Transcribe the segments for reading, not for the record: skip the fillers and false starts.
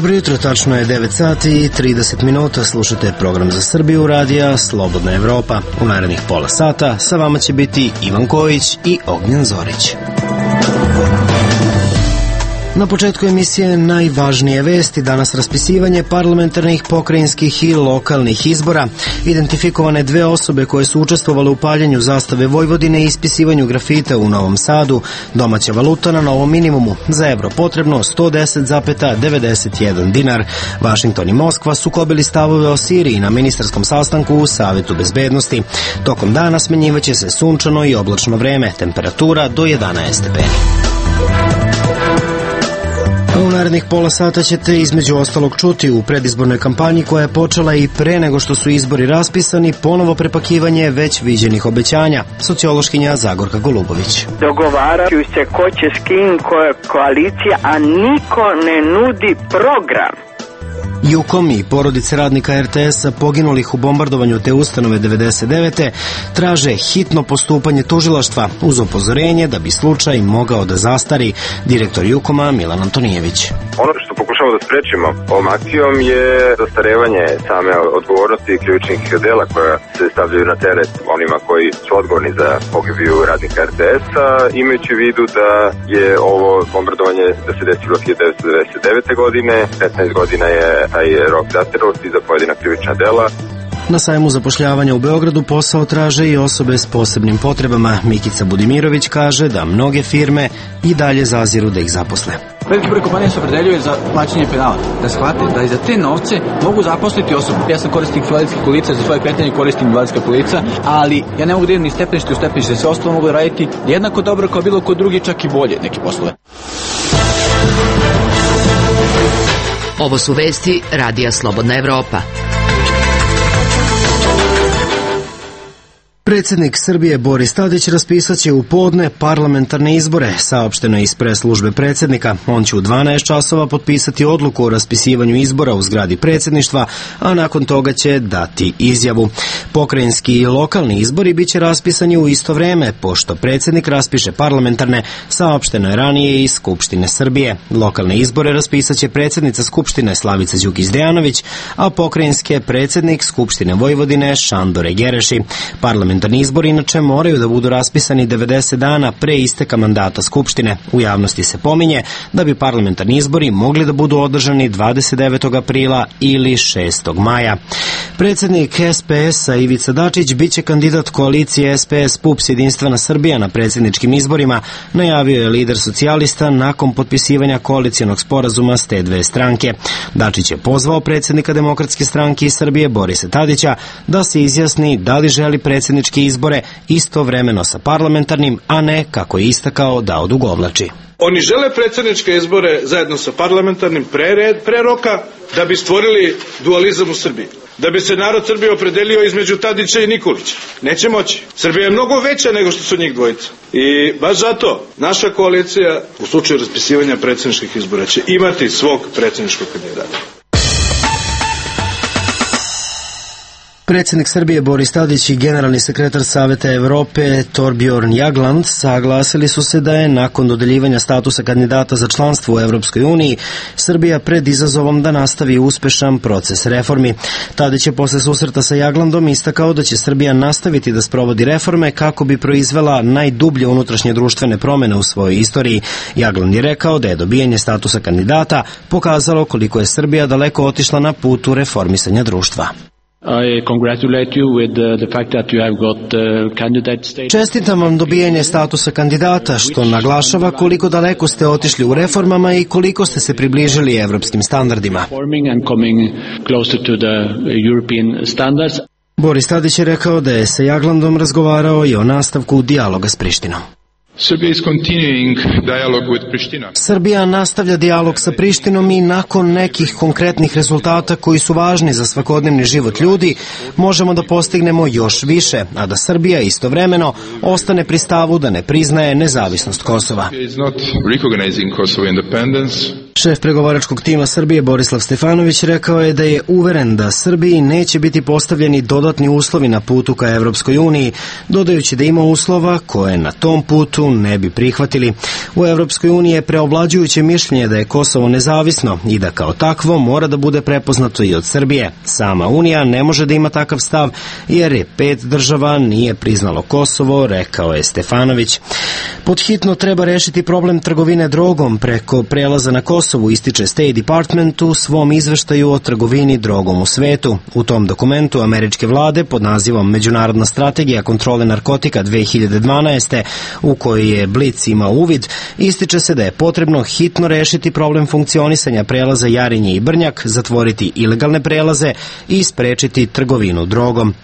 Dobro jutro, tačno je 9 sati i 30 minuta, slušate program za Srbiju radija Slobodna Evropa. U narednih pola sata sa vama će biti Ivan Kojić i Ognjen Zorić. Na početku emisije najvažnije vesti, danas raspisivanje parlamentarnih, pokrajinskih i lokalnih izbora. Identifikovane dve osobe koje su učestvovale u paljenju zastave Vojvodine i ispisivanju grafita u Novom Sadu. Domaća valuta na novom minimumu. Za evro potrebno 110,91 dinar. Vašington i Moskva sukobili stavove o Siriji na ministarskom sastanku u Savetu bezbednosti. Tokom dana smenjivaće se sunčano i oblačno vreme, temperatura do 11 stepeni. U narednih pola sata ćete između ostalog čuti u predizbornoj kampanji koja je počela i pre nego što su izbori raspisani, ponovo prepakivanje već viđenih obećanja. Sociološkinja Zagorka Golubović. Dogovaraju se ko će s kim, koja je koalicija, a niko ne nudi program. Jukom i porodice radnika RTS-a poginulih u bombardovanju te ustanove 99. traže hitno postupanje tužilaštva uz upozorenje da bi slučaj mogao da zastari. Direktor Jukoma Milan Antonijević. Ono što pokušamo da sprečimo ovom akcijom je zastarevanje same odgovornosti krivičnih dela koja se stavljaju na teret onima koji su odgovorni za pogibiju radnika RTS-a, imajući u vidu da je ovo bombardovanje da se desilo 1999. godine, 15 godina je taj rok zastarelosti za pojedina krivična dela. Na sajmu zapošljavanja u Beogradu posao traže i osobe s posebnim potrebama. Mikica Budimirović kaže da mnoge firme i dalje zaziru da ih zaposle. Veliki broj kompanija se opredeljuje za plaćanje penala, da shvate da i za te novce mogu zaposliti osobu. Ja sam korisnik invalidskih kolica, za svoje kretanje koristim invalidska kolica, ali ja ne mogu da idem ni stepenište u stepenište, sve ostalo mogu da raditi jednako dobro kao bilo ko drugi, čak i bolje neki poslove. Ovo su vesti radija Slobodna Evropa. Predsjednik Srbije Boris Tadić raspisat će u podne parlamentarne izbore, saopšteno je iz pres službe predsjednika. On će u 12 časova potpisati odluku o raspisivanju izbora u zgradi predsjedništva, a nakon toga će dati izjavu. Pokrajinski i lokalni izbori biće raspisani u isto vreme, pošto predsjednik raspiše parlamentarne, saopšteno je ranije iz Skupštine Srbije. Lokalne izbore raspisat će predsjednica Skupštine Slavica Đukić-Dejanović, a pokrajinske predsjednik Skupštine Vojvodine Šandor Gereši. Parlamentarni izbori inače moraju da budu raspisani 90 dana pre isteka mandata Skupštine. U javnosti se pominje da bi parlamentarni izbori mogli da budu održani 29. aprila ili 6. maja. Predsjednik SPS-a Ivica Dačić biće kandidat koalicije SPS-PUPS Jedinstvena Srbija na predsjedničkim izborima, najavio je lider socijalista nakon potpisivanja koalicijonog sporazuma s te dve stranke. Dačić je pozvao predsjednika Demokratske stranke iz Srbije Borisa Tadića da se izjasni da li želi predsjednički izbore istovremeno sa parlamentarnim, a ne, kako je istakao, da odugovlači. Oni žele predsjedničke izbore zajedno sa parlamentarnim pre roka da bi stvorili dualizam u Srbiji. Da bi se narod Srbije opredelio između Tadića i Nikolića. Neće moći. Srbija je mnogo veća nego što su njih dvojica. I baš zato naša koalicija u slučaju raspisivanja predsjedničkih izbora će imati svog predsjedničkog kandidata. Predsjednik Srbije Boris Tadić i generalni sekretar Saveta Evrope Thorbjørn Jagland saglasili su se da je nakon dodeljivanja statusa kandidata za članstvo u Evropskoj uniji Srbija pred izazovom da nastavi uspešan proces reformi. Tadić je posle susreta sa Jaglandom istakao da će Srbija nastaviti da sprovodi reforme kako bi proizvela najdublje unutrašnje društvene promene u svojoj istoriji. Jagland je rekao da je dobijanje statusa kandidata pokazalo koliko je Srbija daleko otišla na putu reformisanja društva. Čestitam vam dobijanje statusa kandidata, što naglašava koliko daleko ste otišli u reformama i koliko ste se približili evropskim standardima. Boris Tadić je rekao da je sa Jaglandom razgovarao i o nastavku dijaloga s Prištinom. Srbija nastavlja dijalog sa Prištinom i nakon nekih konkretnih rezultata koji su važni za svakodnevni život ljudi, možemo da postignemo još više, a da Srbija istovremeno ostane pri stavu da ne priznaje nezavisnost Kosova. Šef pregovaračkog tima Srbije Borislav Stefanović rekao je da je uveren da Srbiji neće biti postavljeni dodatni uslovi na putu ka Evropskoj uniji, dodajući da ima uslova koje na tom putu ne bi prihvatili. U Evropskoj uniji je preovlađujuće mišljenje da je Kosovo nezavisno i da kao takvo mora da bude prepoznato i od Srbije. Sama Unija ne može da ima takav stav jer je 5 država nije priznalo Kosovo, rekao je Stefanović. Podhitno treba rešiti problem trgovine drogom preko prelaza na Kosovu, ističe State Department u svom izveštaju o trgovini drogom u svetu. U tom dokumentu američke vlade pod nazivom Međunarodna strategija kontrole narkotika 2012. u kojoj je Blic imao uvid, ističe se da je potrebno hitno rešiti problem funkcionisanja prelaza Jarinje i Brnjak, zatvoriti ilegalne prelaze i sprečiti trgovinu drogom.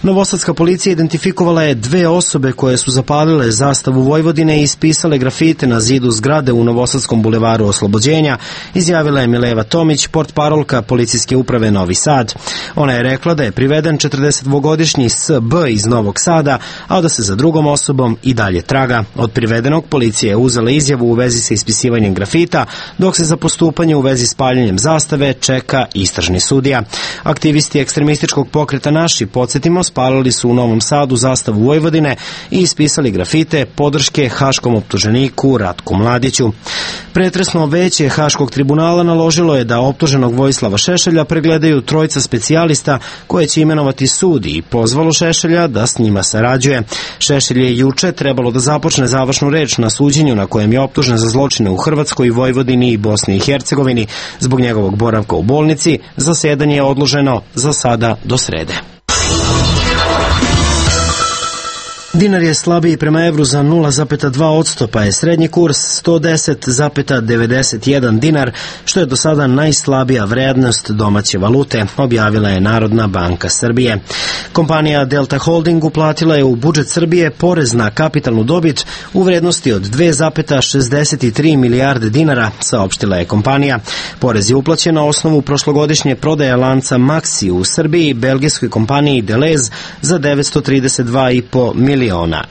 Novosadska policija identifikovala je 2 osobe koje su zapalile zastavu Vojvodine i ispisale grafite na zidu zgrade u Novosadskom bulevaru Oslobođenja, izjavila je Mileva Tomić, portparolka policijske uprave Novi Sad. Ona je rekla da je priveden 42-godišnji S.B. iz Novog Sada, a da se za drugom osobom i dalje traga. Od privedenog policija je uzela izjavu u vezi sa ispisivanjem grafita, dok se za postupanje u vezi s paljenjem zastave čeka istražni sudija. Aktivisti ekstremističkog pokreta Naši, podsjetimo, spalili su u Novom Sadu zastavu Vojvodine i ispisali grafite podrške haškom optuženiku Ratku Mladiću. Pretresno veće Haškog tribunala naložilo je da optuženog Vojislava Šešelja pregledaju 3 specijalista koje će imenovati sud i pozvalo Šešelja da s njima sarađuje. Šešelj je juče trebalo da započne završnu reč na suđenju na kojem je optužen za zločine u Hrvatskoj, Vojvodini i Bosni i Hercegovini. Zbog njegovog boravka u bolnici, zasedanje je odloženo za sada do srede. Dinar je slabiji prema evru za 0,2%, pa je srednji kurs 110,91 dinar, što je do sada najslabija vrednost domaće valute, objavila je Narodna banka Srbije. Kompanija Delta Holding uplatila je u budžet Srbije porez na kapitalnu dobit u vrednosti od 2,63 milijarde dinara, saopštila je kompanija. Porez je uplaćen na osnovu prošlogodišnje prodaje lanca Maxi u Srbiji belgijskoj kompaniji Deleuze za 932,5 miliona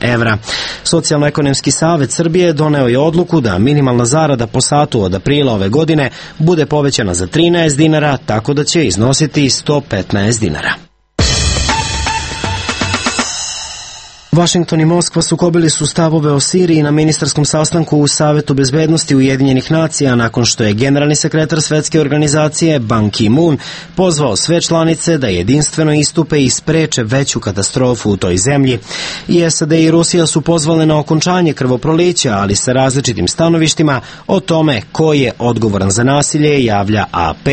evra. Socijalno-ekonomski savet Srbije doneo je odluku da minimalna zarada po satu od aprila ove godine bude povećana za 13 dinara, tako da će iznositi 115 dinara. Vašington i Moskva sukobili su stavove o Siriji na ministarskom sastanku u Savetu bezbednosti Ujedinjenih nacija nakon što je generalni sekretar Svetske organizacije Ban Ki-moon pozvao sve članice da jedinstveno istupe i spreče veću katastrofu u toj zemlji. I SAD i Rusija su pozvale na okončanje krvoprolića, ali sa različitim stanovištima o tome ko je odgovoran za nasilje, javlja AP.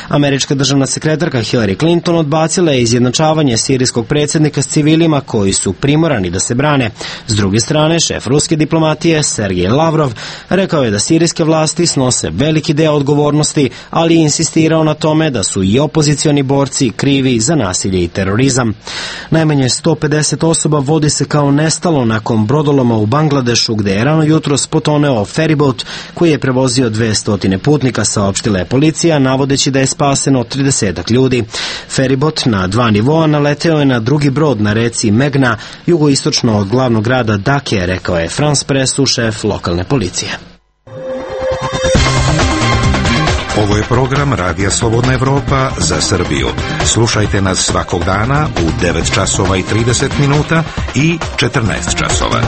Američka državna sekretarka Hillary Clinton odbacila je izjednačavanje sirijskog predsjednika s civilima koji su primorani da se brane. S druge strane, šef ruske diplomatije Sergej Lavrov rekao je da sirijske vlasti snose veliki deo odgovornosti, ali je insistirao na tome da su i opozicioni borci krivi za nasilje i terorizam. Najmanje 150 osoba vodi se kao nestalo nakon brodoloma u Bangladešu, gde je rano jutros potoneo feribot koji je prevozio 200 putnika, saopštila je policija, navodeći da je spaseno 30 ljudi. Feribot na 2 nivoa naleteo je na drugi brod na reci Megna, jugoistočno od glavnog grada Dake, rekao je France Pressu šef lokalne policije. Ovo je program Radija Slobodna Evropa za Srbiju. Slušajte nas svakog dana u 9 časova i 30 minuta i 14 časova.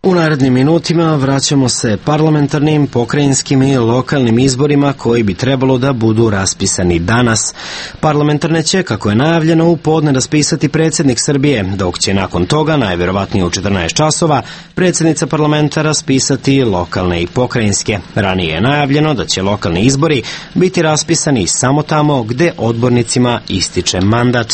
U narednim minutima vraćamo se parlamentarnim, pokrajinskim i lokalnim izborima koji bi trebalo da budu raspisani danas. Parlamentarne će, kako je najavljeno, u podne raspisati predsjednik Srbije, dok će nakon toga, najverovatnije u 14 časova, predsjednica parlamenta raspisati lokalne i pokrajinske. Ranije je najavljeno da će lokalni izbori biti raspisani samo tamo gde odbornicima ističe mandat.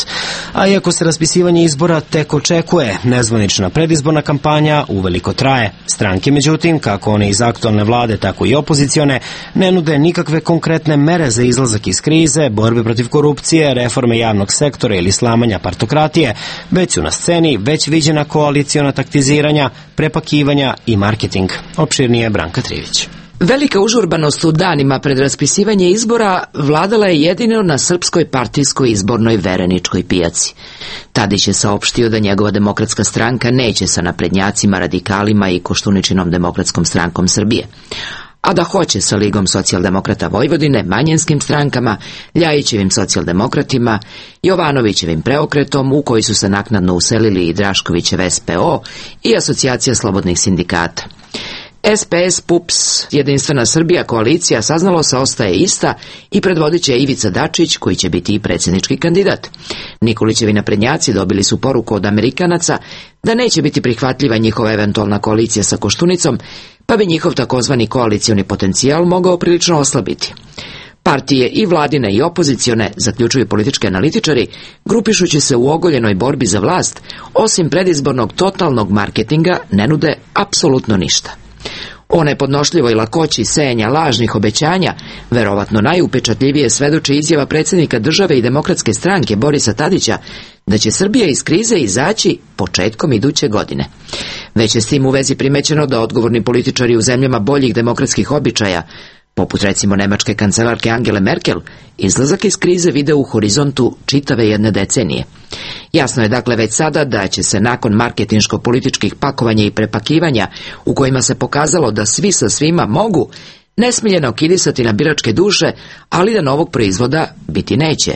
A iako se raspisivanje izbora tek očekuje, nezvanična predizborna kampanja uveliko traje. Stranke, međutim, kako one iz aktualne vlade, tako i opozicione, ne nude nikakve konkretne mere za izlazak iz krize, borbe protiv korupcije, reforme javnog sektora ili slamanja partokratije, već su na sceni već viđena koaliciona taktiziranja, prepakivanja i marketing. Opširnije Branka Trivić. Velika užurbanost u danima pred raspisivanje izbora vladala je jedino na srpskoj partijskoj izbornoj vereničkoj pijaci. Tadić je saopštio da njegova demokratska stranka neće sa naprednjacima, radikalima i Koštuničinom demokratskom strankom Srbije, a da hoće sa Ligom socijaldemokrata Vojvodine, manjinskim strankama, Ljajićevim socijaldemokratima, Jovanovićevim preokretom, u koji su se naknadno uselili i Draškovićev SPO i Asocijacija slobodnih sindikata. SPS, PUPS, Jedinstvena Srbija, koalicija, saznalo se, ostaje ista i predvodit će Ivica Dačić, koji će biti i predsjednički kandidat. Nikolićevi naprednjaci dobili su poruku od Amerikanaca da neće biti prihvatljiva njihova eventualna koalicija sa Koštunicom, pa bi njihov takozvani koalicioni potencijal mogao prilično oslabiti. Partije i vladine i opozicione, zaključuju politički analitičari, grupišući se u ogoljenoj borbi za vlast, osim predizbornog totalnog marketinga, ne nude apsolutno ništa. O nepodnošljivoj lakoći sejanja lažnih obećanja verovatno najupečatljivije svedoči izjava predsjednika države i demokratske stranke Borisa Tadića da će Srbija iz krize izaći početkom iduće godine. Već je s tim u vezi primećeno da odgovorni političari u zemljama boljih demokratskih običaja, poput recimo nemačke kancelarke Angele Merkel, izlazak iz krize vide u horizontu čitave jedne decenije. Jasno je dakle već sada da će se nakon marketinško-političkih pakovanja i prepakivanja, u kojima se pokazalo da svi sa svima mogu, nesmiljeno kidisati na biračke duše, ali da novog proizvoda biti neće.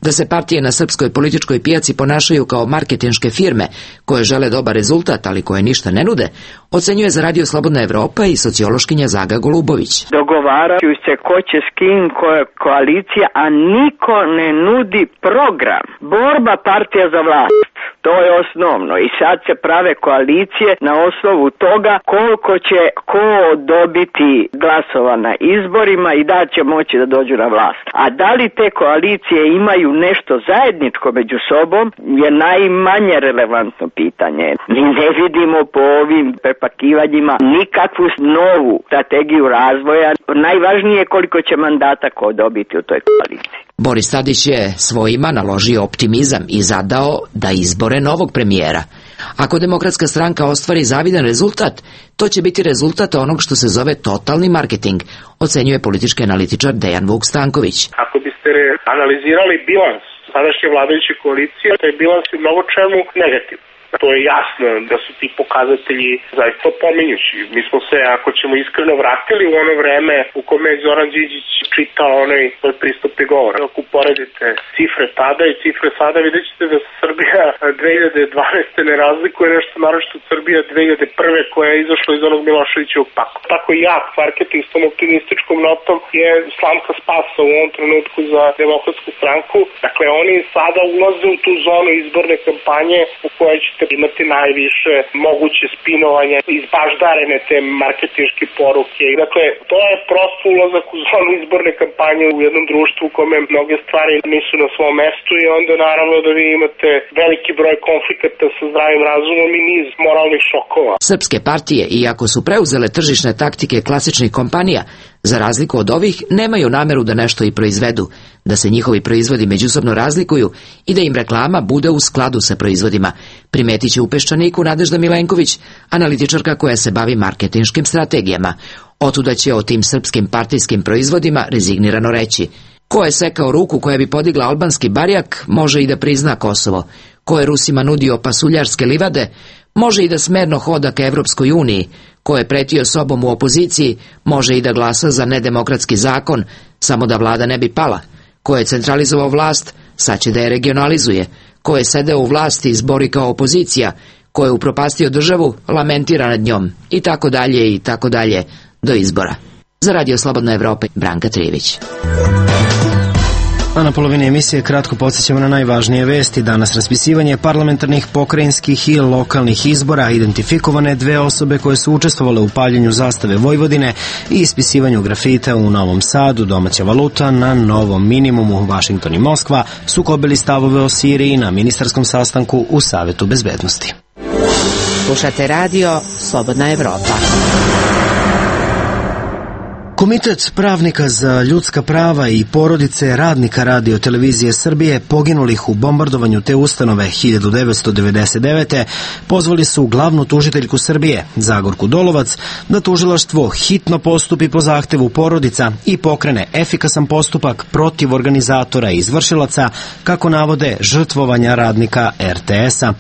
Da se partije na srpskoj političkoj pijaci ponašaju kao marketinške firme koje žele dobar rezultat, ali koje ništa ne nude, ocenjuje za Radio Slobodna Evropa i sociološkinja Zaga Golubović. Dogovaraju se ko će s kim, koja koalicija, a niko ne nudi program. Borba partija za vlast. To je osnovno i sad se prave koalicije na osnovu toga koliko će ko dobiti glasova na izborima i da će moći da dođu na vlast. A da li te koalicije imaju nešto zajedničko među sobom je najmanje relevantno pitanje. Mi ne vidimo po ovim prepakivanjima nikakvu novu strategiju razvoja. Najvažnije je koliko će mandata ko dobiti u toj koaliciji. Boris Tadić je svojima naložio optimizam i zadao da izbore novog premijera. Ako demokratska stranka ostvari zavidan rezultat, to će biti rezultat onog što se zove totalni marketing, ocenjuje politički analitičar Dejan Vuk Stanković. Ako biste analizirali bilans sadašnje vladajuće koalicije, taj bilans je mnogo čemu negativno. To je jasno da su ti pokazatelji zaista pominjući. Mi smo se, ako ćemo iskreno, vratili u ono vreme u kome je Zoran Đinđić čitao onaj pristupni govor. Ako uporedite cifre tada i cifre sada, vidjet ćete da se Srbija 2012. ne razlikuje nešto naročito od Srbija 2001. koja je izašla iz onog Miloševićevog pakta. Tako jak marketing s tom optimističkom notom je slamka spasa u ovom trenutku za demokratsku stranku. Dakle, oni sada ulaze u tu zonu izborne kampanje u kojoj ćete imati najviše moguće spinovanje, izbaždarene te marketinške poruke. Dakle, to je prosto ulazak u zonu izborne kampanje u jednom društvu u kome mnoge stvari nisu na svom mestu i onda naravno da vi imate veliki broj konflikata sa zdravim razumom i niz moralnih šokova. Srpske partije, iako su preuzele tržišne taktike klasičnih kompanija, za razliku od ovih, nemaju nameru da nešto i proizvedu, da se njihovi proizvodi međusobno razlikuju i da im reklama bude u skladu sa proizvodima, primetit će u Peščaniku Nadežda Milenković, analitičarka koja se bavi marketinškim strategijama. Otuda će o tim srpskim partijskim proizvodima rezignirano reći: ko je sekao ruku koja bi podigla albanski barjak, može i da prizna Kosovo. Ko je Rusima nudio pasuljarske livade, može i da smerno hoda ka Evropskoj uniji. Ko je pretio sobom u opoziciji, može i da glasa za nedemokratski zakon, samo da vlada ne bi pala. Ko je centralizovao vlast, sad će da je regionalizuje. Ko je sedeo u vlasti i zbori kao opozicija, ko je upropastio državu, lamentira nad njom, i tako dalje, do izbora. Za Radio Slobodna Evropa, Branka Trijević. A na polovini emisije kratko podsjećamo na najvažnije vesti. Danas raspisivanje parlamentarnih, pokrajinskih i lokalnih izbora, identifikovane 2 osobe koje su učestvovale u paljenju zastave Vojvodine i ispisivanju grafita u Novom Sadu. Domaća valuta na novom minimumu. Vašington i Moskva sukobili stavove o Siriji na ministarskom sastanku u Savetu bezbednosti. Slušate Radio Slobodna Evropa. Komitet pravnika za ljudska prava i porodice radnika Radio televizije Srbije poginulih u bombardovanju te ustanove 1999. pozvali su glavnu tužiteljku Srbije, Zagorku Dolovac, da tužilaštvo hitno postupi po zahtevu porodica i pokrene efikasan postupak protiv organizatora i izvršilaca, kako navode, žrtvovanja radnika RTS-a.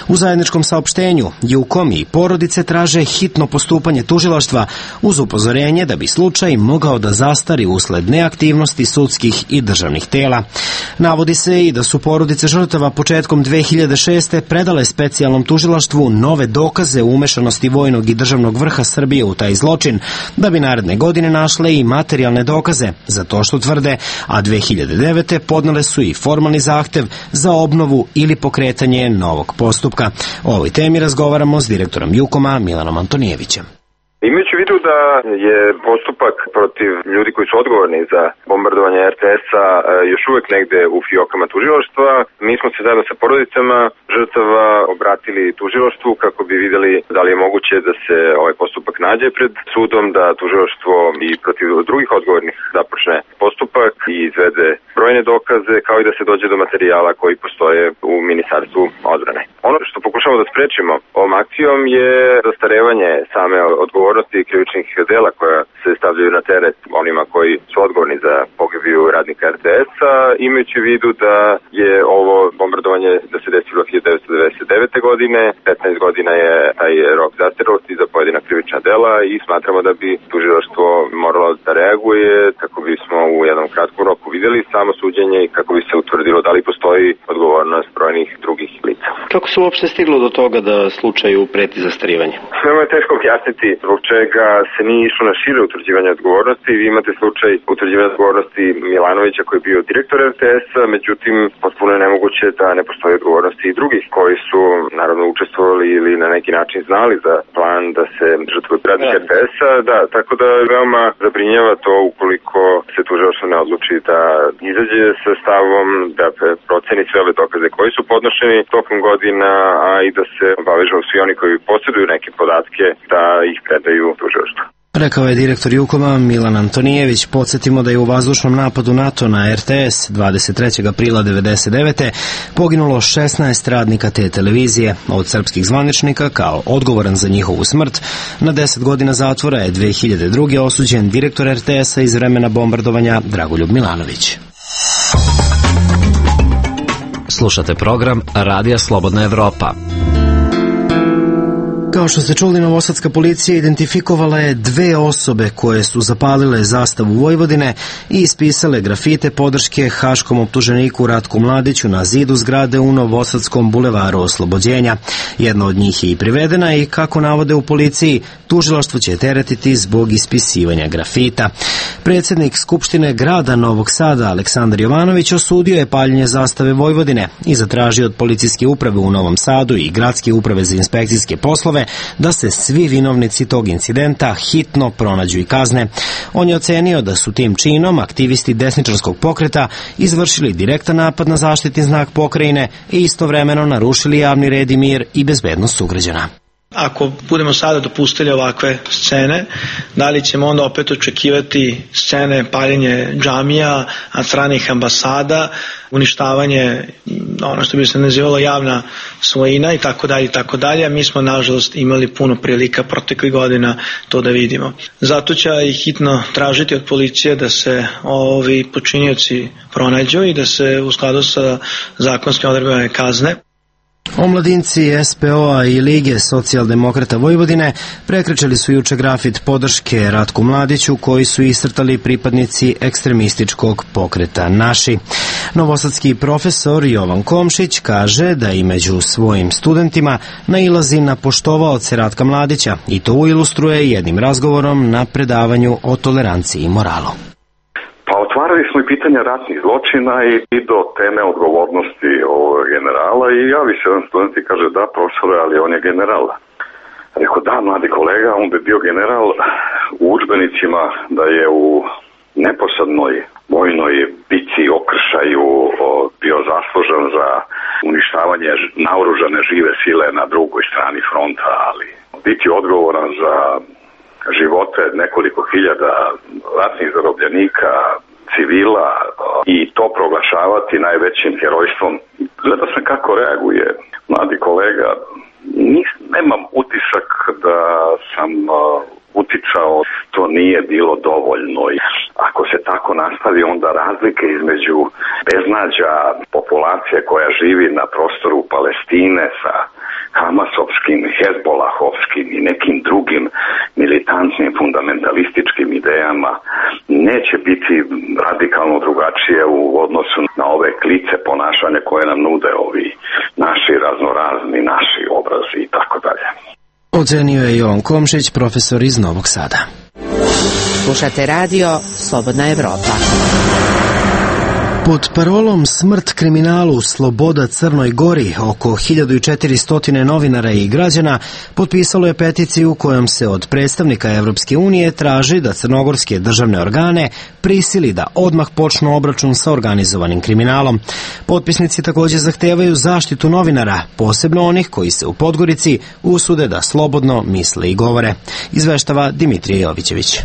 U zajedničkom saopštenju JUKOM i porodice traže hitno postupanje tužilaštva uz upozorenje da bi slučaj mogao da zastari usled neaktivnosti sudskih i državnih tela. Navodi se i da su porodice žrtava početkom 2006. predale specijalnom tužilaštvu nove dokaze o umešanosti vojnog i državnog vrha Srbije u taj zločin, da bi naredne godine našle i materijalne dokaze za to što tvrde, a 2009. podnele su i formalni zahtev za obnovu ili pokretanje novog postupka. O ovoj temi razgovaramo s direktorom JUKOM-a Milanom Antonijevićem. Imajući u vidu da je postupak protiv ljudi koji su odgovorni za bombardovanje RTS-a još uvek negde u fijokama tužilaštva, mi smo se zajedno sa porodicama žrtava obratili tužilaštvu kako bi videli da li je moguće da se ovaj postupak nađe pred sudom, da tužilaštvo i protiv drugih odgovornih započne postupak i izvede brojne dokaze, kao i da se dođe do materijala koji postoje u Ministarstvu odbrane. Ono što pokušamo da sprečimo ovom akcijom je zastarevanje same odgovornosti krivičnih dela koja se stavljaju na teret onima koji su odgovorni za pogibiju radnika RTS-a, imajući u vidu da je ovo bombardovanje da se desilo 1999. godine, 15 godina je taj rok zastarelosti za pojedina krivična dela i smatramo da bi tužilaštvo moralo da reaguje kako bismo u jednom kratkom roku videli samo suđenje i kako bi se utvrdilo da li postoji odgovornost brojnih drugih lica. Kako se uopšte stiglo do toga da slučaju preti zastarivanje? Veoma je teško objasniti zbog čega se nije išlo na šire utvrđivanje odgovornosti. Vi imate slučaj utvrđivanja odgovornosti Milanovića koji je bio direktor RTS-a, međutim potpuno je nemoguće da ne postoji odgovornosti i drugih koji su naravno učestvovali ili na neki način znali za plan da se žrtvuje radnik RTS-a. Da, tako da veoma zabrinjava to ukoliko se tužilaštvo ne odluči da izađe sa stavom, da proceni sve ove dokaze koji su podnošeni tokom godina, a i da se obavežu svi oni koji posjeduju neke podatke da ih predaju tužilaštvu. Rekao je direktor JUKOM-a Milan Antonijević. Podsjetimo da je u vazdušnom napadu NATO na RTS 23. aprila 1999. poginulo 16 radnika te televizije. Od srpskih zvaničnika, kao odgovoran za njihovu smrt, na 10 godina zatvora je 2002. osuđen direktor RTS-a iz vremena bombardovanja Dragoljub Milanović. Slušate program Radija Slobodna Evropa. Kao što ste čuli, novosadska policija identifikovala je 2 osobe koje su zapalile zastavu Vojvodine i ispisale grafite podrške haškom optuženiku Ratku Mladiću na zidu zgrade u Novosadskom bulevaru Oslobođenja. Jedna od njih je i privedena i, kako navode u policiji, tužilaštvo će teretiti zbog ispisivanja grafita. Predsjednik Skupštine grada Novog Sada, Aleksandar Jovanović, osudio je paljenje zastave Vojvodine i zatražio od policijske uprave u Novom Sadu i gradske uprave za inspekcijske poslove da se svi vinovnici tog incidenta hitno pronađu i kazne. On je ocenio da su tim činom aktivisti desničarskog pokreta izvršili direktan napad na zaštitni znak pokrajine i istovremeno narušili javni red i mir i bezbednost sugrađana. Ako budemo sada dopustili ovakve scene, da li ćemo onda opet očekivati scene paljenje džamija, stranih ambasada, uništavanje, ono što bi se nazivalo javna svojina i tako dalje i tako dalje. Mi smo nažalost imali puno prilika proteklih godina to da vidimo. Zato će i hitno tražiti od policije da se ovi počinioci pronađu i da se u skladu sa zakonskim odredbama kazne. Omladinci SPO-a i Lige socijaldemokrata Vojvodine prekrečili su juče grafit podrške Ratku Mladiću koji su iscrtali pripadnici ekstremističkog pokreta Naši. Novosadski profesor Jovan Komšić kaže da i među svojim studentima nailazi na poštovaoce Ratka Mladića i to ilustruje jednim razgovorom na predavanju o toleranciji i moralu. Pa otvarali smo i pitanja ratnih zločina i do teme odgovornosti ovog generala i javi se jedan student i kaže da profesore, ali on je general. Rekao da, mladi kolega, on bi bio general u udžbenicima da je u neposrednoj vojnoj bici, okršaju bio zaslužen za uništavanje naoružane žive sile na drugoj strani fronta, ali biti odgovoran za živote nekoliko hiljada ratnih zarobljenika, civila i to proglašavati najvećim herojstvom. Gledao sam kako reaguje mladi kolega. Nemam utisak da sam uticao, to nije bilo dovoljno. Ako se tako nastavi, onda razlike između beznađa populacije koja živi na prostoru Palestine sa hamasovskim, hezbolahovskim i nekim drugim militantnim fundamentalističkim idejama neće biti radikalno drugačije u odnosu na ove klice ponašanja koje nam nude ovi naši raznorazni, naši obrazi i tako dalje. Ocenio je Jovan Komšić, profesor iz Novog Sada. Slušate radio Slobodna Evropa. Pod parolom Smrt kriminalu, sloboda Crnoj Gori, oko 1400 novinara i građana potpisalo je peticiju kojom se od predstavnika Evropske unije traži da crnogorske državne organe prisili da odmah počnu obračun sa organizovanim kriminalom. Potpisnici također zahtevaju zaštitu novinara, posebno onih koji se u Podgorici usude da slobodno misle i govore. Izveštava Dimitrije Jovićević.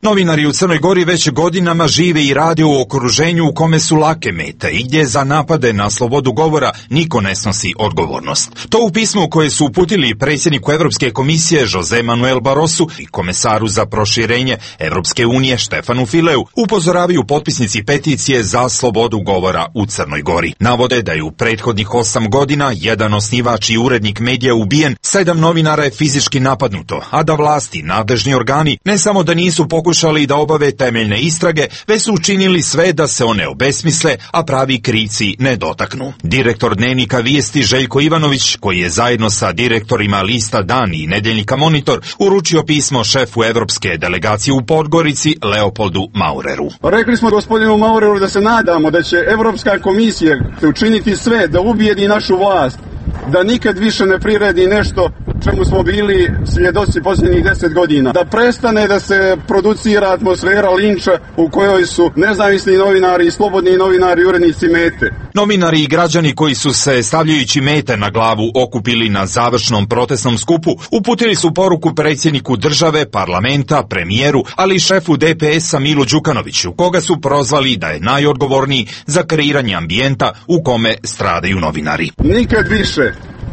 Novinari u Crnoj Gori već godinama žive i rade u okruženju u kome su lake mete i gdje za napade na slobodu govora niko ne snosi odgovornost. To u pismu koje su uputili predsjedniku Evropske komisije Jose Manuel Barrosu i komesaru za proširenje Evropske unije Štefanu Fileu upozoravaju potpisnici peticije za slobodu govora u Crnoj Gori. Navode da je u prethodnih 8 godina jedan osnivač i urednik medija ubijen, 7 novinara je fizički napadnuto, a da vlasti, nadležni organi ne samo da nisu pokušali da obave temeljne istrage, već su učinili sve da se one obesmisle, a pravi krivci ne dotaknu. Direktor dnevnika Vijesti Željko Ivanović, koji je zajedno sa direktorima lista Dan i Nedeljnika Monitor uručio pismo šefu evropske delegacije u Podgorici Leopoldu Maureru. Rekli smo gospodinu Maureru da se nadamo da će Evropska komisija učiniti sve da ubijedi našu vlast, da nikad više ne priredi nešto čemu smo bili svjedoci posljednjih 10 godina. Da prestane da se producira atmosfera linča u kojoj su nezavisni novinari i slobodni novinari i urednici mete. Novinari i građani koji su se stavljajući mete na glavu okupili na završnom protestnom skupu uputili su poruku predsjedniku države, parlamenta, premijeru, ali i šefu DPS-a Milu Đukanoviću, koga su prozvali da je najodgovorniji za kreiranje ambijenta u kome stradaju novinari.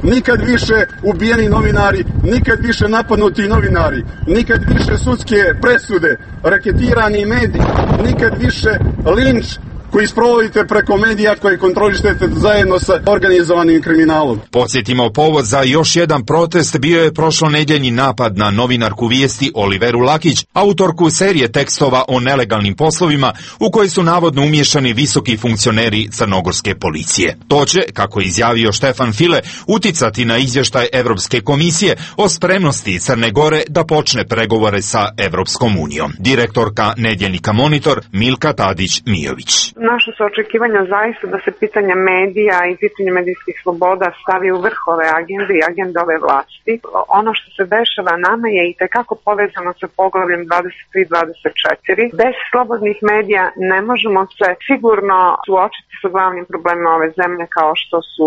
Nikad više ubijeni novinari, nikad više napadnuti novinari, nikad više sudske presude, raketirani mediji, nikad više linč koji sprovodite preko medija koje kontrolišete zajedno sa organizovanim kriminalom. Podsjetimo, povod za još jedan protest bio je prošlonedjeljni napad na novinarku Vijesti Oliveru Lakić, autorku serije tekstova o nelegalnim poslovima u koje su navodno umiješani visoki funkcioneri crnogorske policije. To će, kako je izjavio Štefan File, uticati na izvještaj Evropske komisije o spremnosti Crne Gore da počne pregovore sa Evropskom unijom. Direktorka Nedeljnika Monitor Milka Tadić-Mijović. Naša su očekivanja zaista da se pitanje medija i pitanje medijskih sloboda stavi u vrh ove agende i agende ove vlasti. Ono što se dešava nama je i tekako povezano sa poglavljem 23-24. Bez slobodnih medija ne možemo se sigurno suočiti sa glavnim problemima ove zemlje kao što su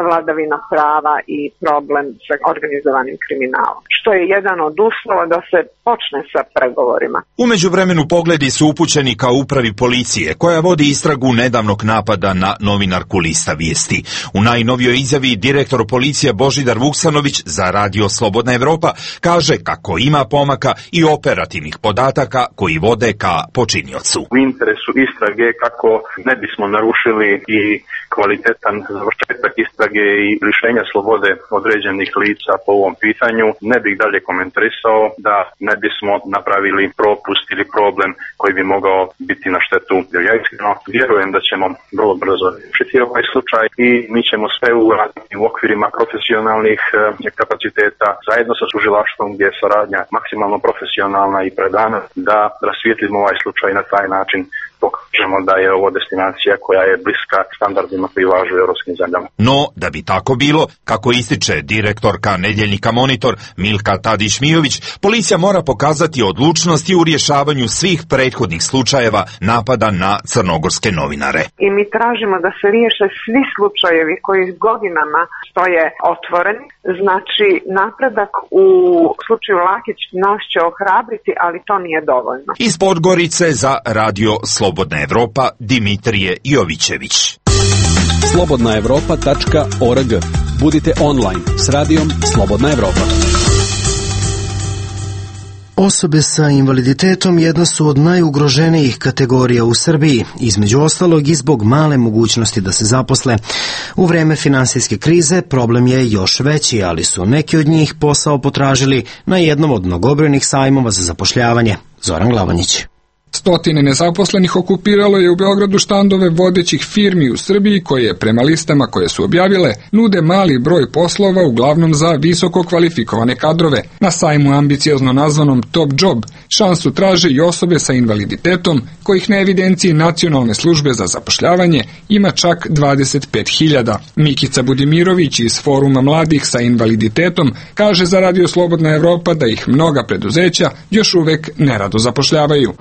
vladavina prava i problem sa organizovanim kriminalom. Što je jedan od uslova da se počne sa pregovorima. U međuvremenu pogledi su upućeni ka upravi policije, koja vodi istragu nedavnog napada na novinarku Lista Vijesti. U najnovijoj izjavi direktor policije Božidar Vuksanović za radio Slobodna Evropa kaže kako ima pomaka i operativnih podataka koji vode ka počiniocu. U interesu istrage kako ne bismo narušili i kvalitetan završetak istrage i lišenja slobode određenih lica po ovom pitanju, ne bih dalje komentarisao da ne bismo napravili propust ili problem koji bi mogao biti na štetu. Ja iskreno vjerujem da ćemo vrlo brzo riješiti ovaj slučaj i mi ćemo sve uraditi u okvirima profesionalnih kapaciteta zajedno sa tužilaštvom gdje je saradnja maksimalno profesionalna i predana da rasvijetlimo ovaj slučaj na taj način dok kažemo da je ovo destinacija koja je bliska standardima koji važe u evropskim zemljama. No, da bi tako bilo, kako ističe direktorka Nedeljnika Monitor Milka Tadić-Mijović, policija mora pokazati odlučnost i u rješavanju svih prethodnih slučajeva napada na crnogorske novinare. I mi tražimo da se riješe svi slučajevi koji godinama stoje otvoreni. Znači, napredak u slučaju Lakić nas će ohrabriti, ali to nije dovoljno. Iz Podgorice za Radio Slobodna Evropa Dimitrije Jovićević. slobodnaevropa.org. Budite online s radijom Slobodna Evropa. Osobe sa invaliditetom jedna su od najugroženijih kategorija u Srbiji, između ostalog i zbog male mogućnosti da se zaposle. U vreme finansijske krize problem je još veći, ali su neki od njih posao potražili na jednom od mnogobrojnih sajmova za zapošljavanje. Zoran Glavanić. Stotine nezaposlenih okupiralo je u Beogradu štandove vodećih firmi u Srbiji koje, prema listama koje su objavile, nude mali broj poslova uglavnom za visoko kvalifikovane kadrove. Na sajmu ambiciozno nazvanom Top Job šansu traže i osobe sa invaliditetom, kojih na evidenciji Nacionalne službe za zapošljavanje ima čak 25.000. Mikica Budimirović iz Foruma mladih sa invaliditetom kaže za Radio Slobodna Evropa da ih mnoga preduzeća još uvek nerado zapošljavaju.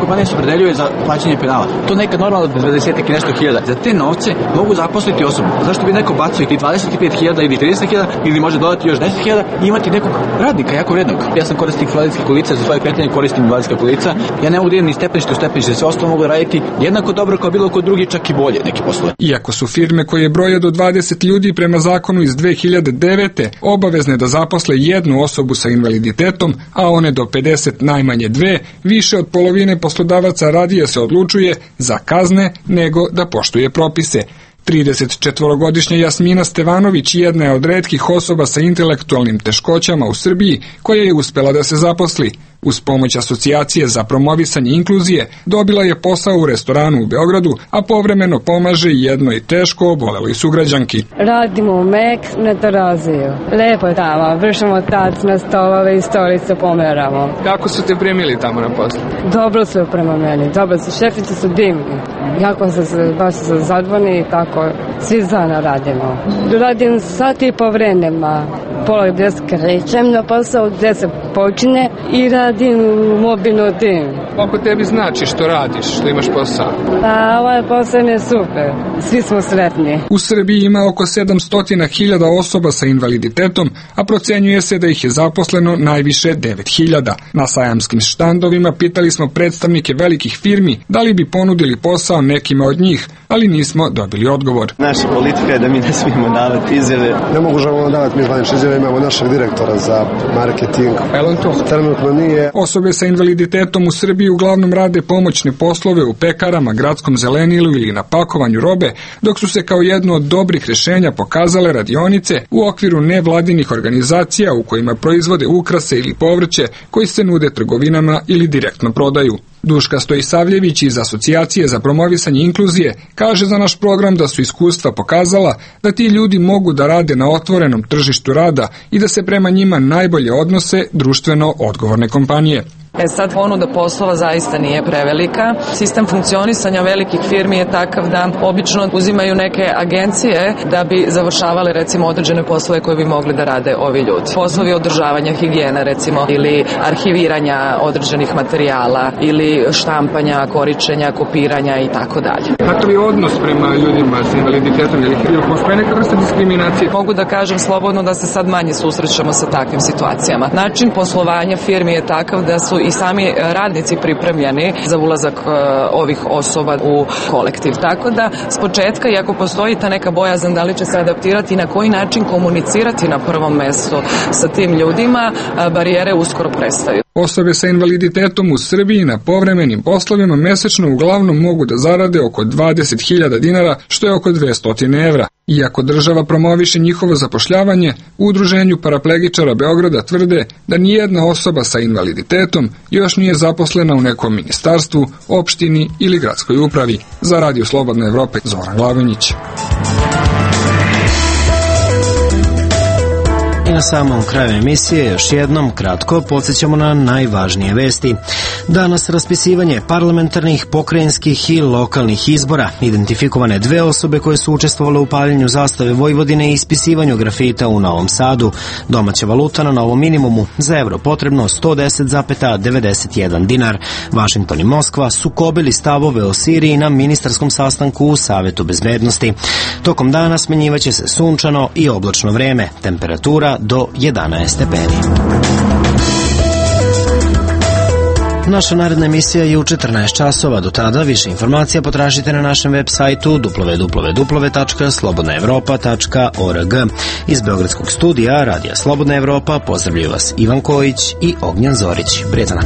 Kompanije se opredeljuju za plaćanje penala. To nekad normalno 20 i nešto hiljada. Za te novce mogu zaposliti osobu. Zašto bi neko bacio i 25.000 ili 30.000 ili može dodati još 10.000 i imati nekog radnika jako vrednog. Ja sam korisnik invalidskih kolica, za svoje kretanje koristim invalidska kolica. Ja ne mogu da idem ni stepenište u stepenište, sve ostalo mogu raditi jednako dobro kao bilo ko drugi, čak i bolje neki poslove. Iako su firme koje broje do 20 ljudi prema zakonu iz 2009. obavezne da zaposle jednu osobu sa invaliditetom, a one do 50 najmanje dve, više od polovine poslodavaca radije se odlučuje za kazne nego da poštuje propise. 34-godišnja Jasmina Stevanović jedna je od retkih osoba sa intelektualnim teškoćama u Srbiji koja je uspela da se zaposli. Uz pomoć Asocijacije za promovisanje inkluzije dobila je posao u restoranu u Beogradu, a povremeno pomaže jednoj teško oboleloj sugrađanki. Radimo u Mek na Teraziju. Lepo je tamo, vršamo tac na stolove i stolice pomeramo. Kako su te primili tamo na poslu? Dobro su prema meni, dobro su, šefice su divni. Jako se baš su zadvani i tako, svi zajedno radimo. Radim sat i po vremenima, pola gdje se krećem na posao, gdje se počine i radim mobilno tim. Koliko tebi znači što radiš, što imaš posao? Pa ovaj posao je super, svi smo sretni. U Srbiji ima oko 700.000 osoba sa invaliditetom, a procenjuje se da ih je zaposleno najviše 9.000. Na sajamskim štandovima pitali smo predstavnike velikih firmi da li bi ponudili posao nekima od njih, ali nismo dobili odgovor. Naša politika je da mi ne smijemo davati izjave. Ne možemo davati mi zvanične izjave, imamo našeg direktora za marketing. Trenutno nije. Osobe sa invaliditetom u Srbiji uglavnom rade pomoćne poslove u pekarama, gradskom zelenilu ili na pakovanju robe, dok su se kao jedno od dobrih rješenja pokazale radionice u okviru nevladinih organizacija u kojima proizvode ukrase ili povrće koji se nude trgovinama ili direktno prodaju. Duška Stojisavljević iz Asocijacije za promovisanje inkluzije kaže za naš program da su iskustva pokazala da ti ljudi mogu da rade na otvorenom tržištu rada i da se prema njima najbolje odnose društveno odgovorne kompanije. Sad ponuda poslova zaista nije prevelika. Sistem funkcionisanja velikih firmi je takav da obično uzimaju neke agencije da bi završavale recimo određene poslove koje bi mogli da rade ovi ljudi. Poslovi održavanja higijene recimo ili arhiviranja određenih materijala ili štampanja, koričenja, kopiranja i tako dalje. Kakav je odnos prema ljudima s invaliditetom ili postoje neka vrsta diskriminacije? Mogu da kažem slobodno da se sad manje susrećemo sa takvim situacijama. Način poslovanja firmi je takav da su i sami radnici pripremljeni za ulazak ovih osoba u kolektiv. Tako da s početka, iako postoji ta neka bojazan da li će se adaptirati i na koji način komunicirati na prvom mjestu sa tim ljudima, barijere uskoro prestaju. Osobe sa invaliditetom u Srbiji na povremenim poslovima mesečno uglavnom mogu da zarade oko 20.000 dinara, što je oko 200 evra. Iako država promoviše njihovo zapošljavanje, u Udruženju paraplegičara Beograda tvrde da nijedna osoba sa invaliditetom još nije zaposlena u nekom ministarstvu, opštini ili gradskoj upravi. Za Radio Slobodna Evropa, Zoran Glavinić. na samom kraju emisije još jednom kratko podsjećamo na najvažnije vesti. Danas raspisivanje parlamentarnih, pokrajinskih i lokalnih izbora. Identifikovane 2 osobe koje su učestvovale u paljenju zastave Vojvodine i ispisivanju grafita u Novom Sadu. Domaća valuta na novom minimumu, za evro potrebno 110,91 dinar. Vašington i Moskva sukobili stavove o Siriji na ministarskom sastanku u Savetu bezbednosti. Tokom dana smenjivaće se sunčano i oblačno vreme, temperatura do 11 stepeni. Naša naredna emisija je u 14 časova. Do tada više informacija potražite na našem web sajtu www.slobodnaevropa.org. Iz Beogradskog studija Radija Slobodna Evropa pozdravljaju vas Ivan Kojić i Ognjan Zorić. Prijetan.